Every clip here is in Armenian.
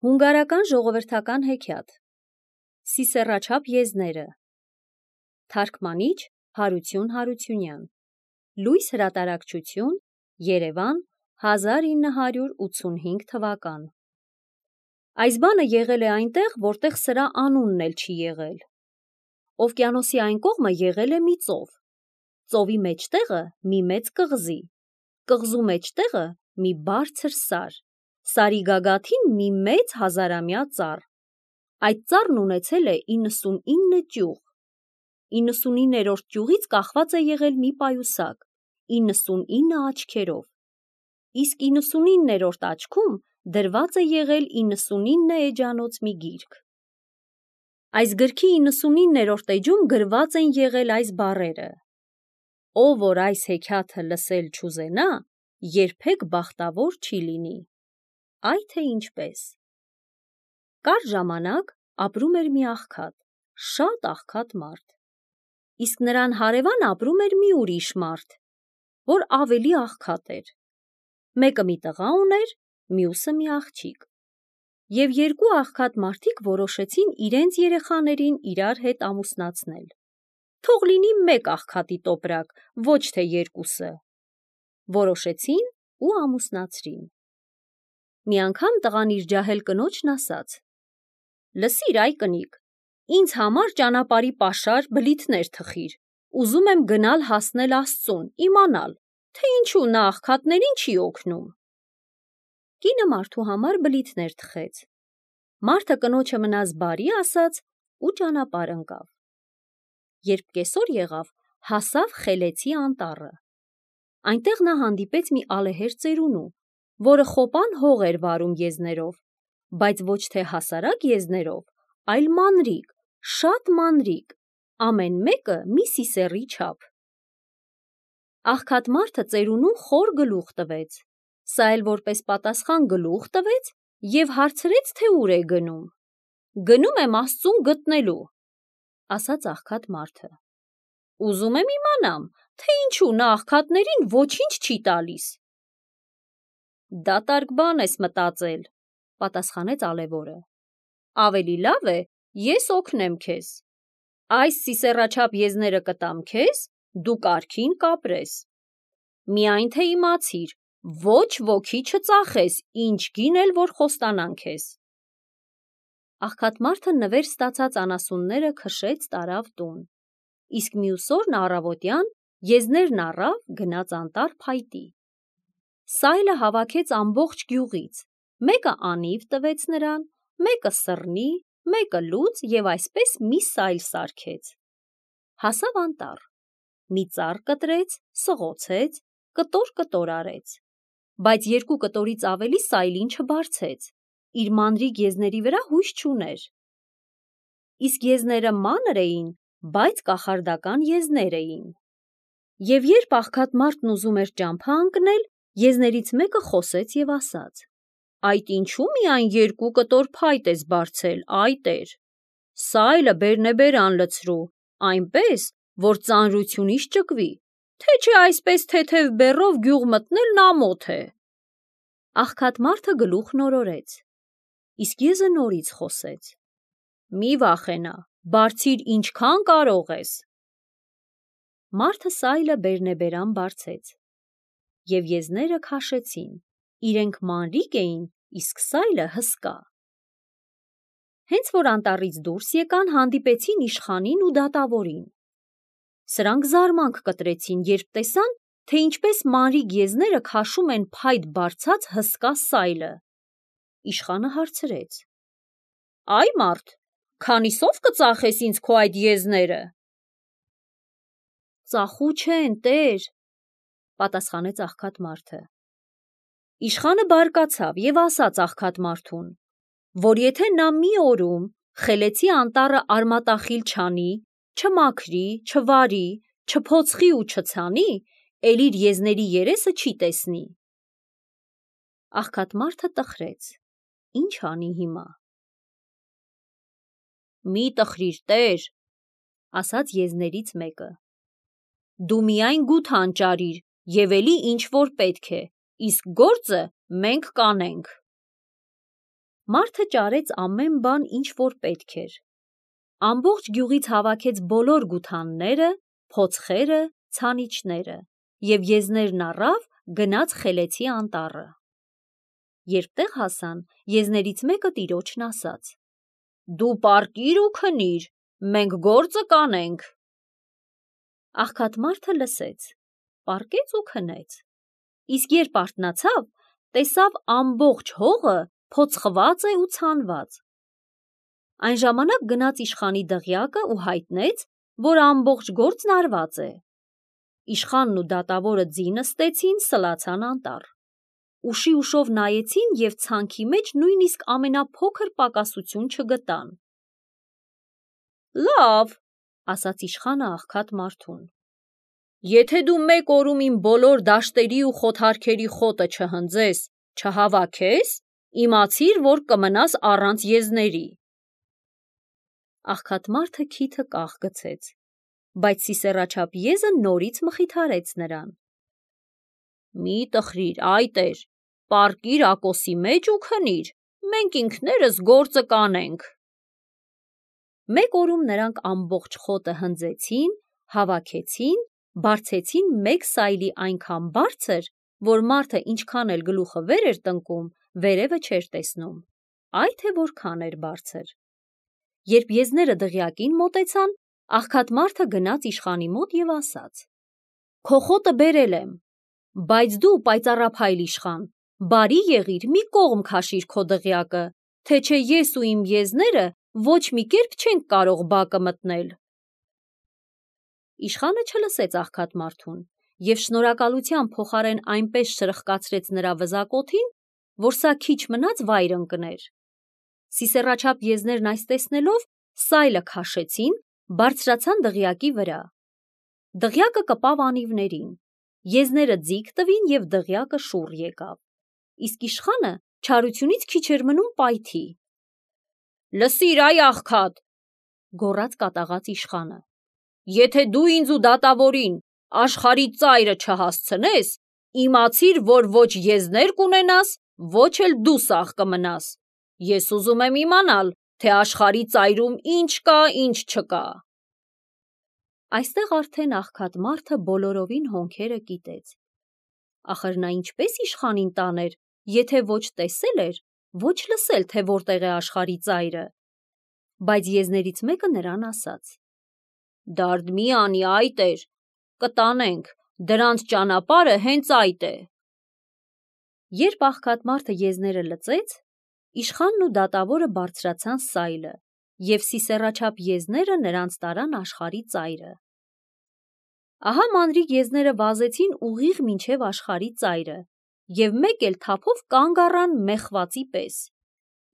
Հունգարական ժողովրդական հեքիաթ Սիսեռաչափ եզները Թարգմանիչ Հարություն Հարությունյան Լույս հրատարակչություն Երևան 1985 թվական Այս բանը եղել է այնտեղ, որտեղ սրա անունն էլ չի եղել։ Օվկիանոսի այն կողմը եղել է մի ծով։ Ծովի մեջտեղը մի մեծ կղզի, կղզու մեջտեղը մի բարձր սար, սարի գագաթին մի մեծ հազարամյա ծառ։ Այդ ծառն ունեցել է 99 ճյուղ։ 99-րդ ճյուղից կախված է եղել մի պայուսակ, 99 աչքերով, իսկ 99-րդ աչքում դրված է եղել 99 էջանոց մի գիրք։ Այս գրքի 99-րդ էջում գրված են եղել այս բառերը. «Ով որ այս հեքիաթը լսել չուզենա, երբեք բախտավոր չի լինի»։ Այ թե ինչպես։ Կար ժամանակ ապրում էր մի աղքատ, շատ աղքատ մարդ։ Իսկ նրան հարևան ապրում էր մի ուրիշ մարդ, որ ավելի աղքատ էր։ Մեկը մի տղա ուներ, մյուսը մի աղջիկ։ Եվ երկու աղքատ մարդիկ որոշեցին իրենց երեխաներին իրար հետ ամուսնացնել։ Թող լինի մեկ աղքատի տոպրակ, ոչ թե երկուսը։ Որոշեցին ու ամուսնացրին։ Մի անգամ տղան իր ջահել կնոջն ասաց. «Լսիր, այ կնիկ, ինձ համար ճանապարհի պաշար բլիթներ թխիր, ուզում եմ գնալ հասնել Աստծուն, իմանալ, թե ինչու նա աղքատներին չի օգնում»։ Կինը մարդու համար բլիթներ թխեց։ Մարդը կնոջը մնաց բարի ասաց ու ճանապարհ ընկավ։ Երբ կեսօր եղավ, հասավ Խելեցի անտառը։ Այնտեղ նա հանդիպեց մի ալեհեր ծերունու, որը խոպան հող էր վարում եզներով, բայց ոչ թե հասարակ եզներով, այլ մանրիկ, շատ մանրիկ, ամեն մեկը մի սիսեռի չափ։ Աղքատ մարդը ծերունուն խոր գլուխ տվեց, սա էլ որպես պատասխան գլուխ տվեց և հարցրեց, թե ուր է գնում։ «Գնում եմ Աստծուն գտնելու», ասաց աղքատ մարդը։ «Ուզում եմ իմանամ, թե ինչու նա աղքատներին ոչինչ չի տալիս»։ «Դատարկ բան ես մտածել», պատասխանեց ալեվորը։ «Ավելի լավ է, ես օգնեմ քեզ։ Այս սիսեռաչափ եզները կտամ քեզ, դու կարգին կապրես։ Միայն թե իմացիր, ոչ ոքի չծախես, ինչ գին էլ որ խոստանան քեզ»։ Աղքատ մարդը նվեր ստացած անասունները քշեց տարավ տուն, իսկ մյուս օրն առավոտյան եզներն առավ գնաց անտառ փայտի։ Սայլը հավաքեց ամբողջ գյուղից, մեկը անիվ տվեց նրան, մեկը սռնի, մեկը լուծ և այսպես մի սայլ սարքեց։ Հասավ անտառ, մի ծառ կտրեց, սղոցեց, կտոր արեց, բայց երկու կտորից ավելի սայլին չբարձեց, իր մանրիկ եզների վրա հույս չուներ։ Իսկ եզները մանր էին, բայց կախարդական եզներ էին։ Եվ երբ աղքատ մարդն ուզում էր ճամփա ընկնել, եզներից մեկը խոսեց և ասաց. «Այդ ինչու միայն երկու կտոր փայտ ես բարձել, այ տեր։ Սայլը բերնեբերան լցրու, այնպես, որ ծանրությունից ճկվի, թե չէ այսպես թեթև բեռով գյուղ մտնելն ամոթ է»։ Աղքատ մարդը գլուխ նորորեց, իսկ եզը նորից խոսեց. «Մի վախենա, բարձիր ինչքան կարող ես»։ Մարդը սայլը բերնեբերան բարձեց, և եզները քաշեցին, իրենք մանրիկ էին, իսկ սայլը հսկա։ Հենց որ անտառից դուրս եկան, հանդիպեցին իշխանին ու դատավորին։ Սրանք զարմանք կտրեցին, երբ տեսան, թե ինչպես մանրիկ եզները քաշում են փայտ բարձած հսկա սայլը։ Իշխանը հարցրեց. «Այ մարդ, քանիսով կծախես ինձ քո այդ եզները»։ «Ծախու չեն, տեր», պատասխանեց աղքատ մարդը։ Իշխանը բարկացավ և ասաց աղքատ մարդուն, որ եթե նա մի օրում Խելեցի անտառը արմատախիլ չանի, չմաքրի, չվարի, չփոցխի ու չցանի, էլ իր եզների երեսը չի տեսնի։ Աղքատ մարդը տխրեց. ինչ անի հիմա։ «Մի տխրիր, տեր», ասաց եզներից մեկը։ «Դու միայն գութ հանճարիր և էլի ինչ որ պետք է, իսկ գործը մենք կանենք»։ Մարդը ճարեց ամեն բան, ինչ որ պետք էր։ Ամբողջ գյուղից հավաքեց բոլոր գութանները, փոցխերը, ցանիչները և եզներն առավ, գնաց Խելեցի անտառը։ Երբ տեղ հասան, եզներից մեկը տիրոջն ասաց. «Դու պառկիր ու քնիր, մենք գործը կանենք»։ Աղքատ մարդը լսեց, պառկեց ու քնեց, իսկ երբ արթնացավ, տեսավ ամբողջ հողը փոցխված է ու ցանված։ Այն ժամանակ գնաց իշխանի դղյակը ու հայտնեց, որ ամբողջ գործն արված է։ Իշխանն ու դատավորը ձի նստեցին, սլացան անտառ։ Ուշի ուշով նայեցին և ցանքի մեջ նույնիսկ ամենափոքր պակասություն չգտան։ «Լավ», ասաց իշխանը աղքատ մարդուն, «եթե դու մեկ օրում իմ բոլոր դաշտերի ու խոթարքերի խոտը չհնձես, չհավաքես, իմացիր, որ կմնաս առանց եզների»։ Աղքատ մարդը քիթը կախ գցեց, բայց սիսեռաչափ եզը նորից մխիթարեց նրան. «Մի տխրիր, այ տեր, պառկիր ակոսի մեջ ու քնիր, մենք ինքներս գործը կանենք»։ Մեկ օրում նրանք ամբողջ խոտը հնձեցին, հավաքեցին, բարձեցին մեկ սայլի այնքան բարձր, որ մարդը ինչքան էլ գլուխը վեր էր տնկում, վերևը չէր տեսնում, այ թե որքան էր բարձր։ Երբ եզները դղյակին մոտեցան, աղքատ մարդը գնաց իշխանի մոտ և ասաց. «Քո խոտը բերել եմ, բայց դու, պայծառափայլ իշխան, բարի եղիր, մի կողմ քաշիր քո դղյակը, թե չէ ես ու իմ եզները ոչ մի կերպ չենք կարող բակը մտնել»։ Իշխանը չլսեց աղքատ մարդուն և շնորհակալության փոխարեն այնպես շրխկացրեց նրա վզակոթին, որ սա քիչ մնաց վայր ընկներ։ Սիսեռաչափ եզներն այս տեսնելով, սայլը քաշեցին, բարձրացան դղյակի վրա։ Դղյակը կպավ անիվներին, եզները ձիգ տվին և դղյակը շուռ եկավ, իսկ իշխանը չարությունից քիչ էր մնում պայթի։ «Լսիր, այ աղքատ», գոռաց կատաղած իշխանը, «եթե դու ինձ ու դատավորին աշխարհի ծայրը չհասցնես, իմացիր, որ ոչ եզներ կունենաս, ոչ էլ դու սաղ կմնաս։ Ես ուզում եմ իմանալ, թե աշխարհի ծայրում ինչ կա, ինչ չկա»։ Այստեղ արդեն աղքատ մարդը բոլորովին հոնքերը կիտեց։ Ախր նա ինչպես իշխանին տաներ, եթե ոչ տեսել էր, ոչ լսել, թե որտեղ է աշխարհի ծայրը։ Բայց եզներից մեկը նրան ասաց. «Դարդ մի անի, այ տեր, կտանենք, դրանց ճանապարհը հենց այդ է»։ Երբ աղքատ մարդը եզները լծեց, իշխանն ու դատավորը բարձրացան սայլը, և սիսեռաչափ եզները նրանց տարան աշխարհի ծայրը։ Ահա մանրիկ եզները վազեցին ուղիղ մինչև աշխարհի ծայրը և մեկ էլ թափով կանգ առան մեխվածի պես,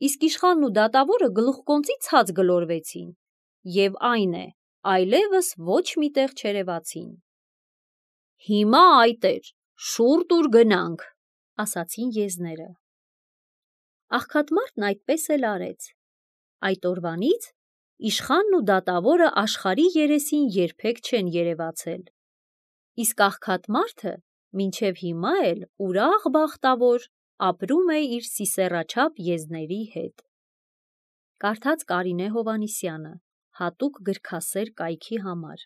իսկ իշխանն ու դատավորը գլուխկոնծի ցած գլորվեցին և այն է, այլևս ոչ մի տեղ չերևացին։ «Հիմա, այ տեր, շուռ տուր գնանք», ասացին եզները։ Աղքատ մարդն այդպես էլ արեց։ Այդ օրվանից իշխանն ու դատավորը աշխարհի երեսին երբեք չեն երևացել, իսկ աղքատ մարդը մինչև հիմա էլ ուրախ բախտավոր ապրում է իր սիսեռաչափ եզների հետ։ Կարդաց Կարինե Հովհաննիսյանը, հատուկ գրքասեր կայքի համար։